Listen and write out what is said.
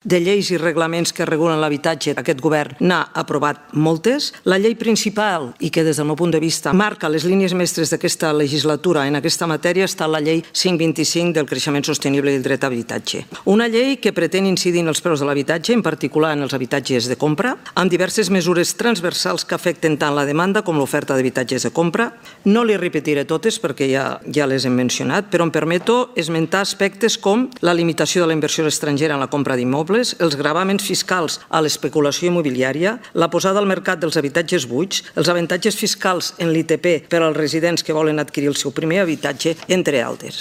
De lleis i reglaments que regulen l'habitatge, aquest govern n'ha aprovat moltes. La llei principal, i que des del meu punt de vista marca les línies mestres d'aquesta legislatura en aquesta matèria, està la llei 525 del creixement sostenible i el dret a habitatge. Una llei que pretén incidir en els preus de l'habitatge, en particular en els habitatges de compra, amb diverses mesures transversals que afecten tant la demanda com l'oferta d'habitatges de compra. No les repetiré totes perquè ja les hem mencionat, però em permeto esmentar aspectes com la limitació de la inversió estrangera en la compra d'immobles, els gravàmens fiscals a l'especulació immobiliària, la posada al mercat dels habitatges buits, els avantatges fiscals en l'ITP per als residents que volen adquirir el seu primer habitatge, entre altres.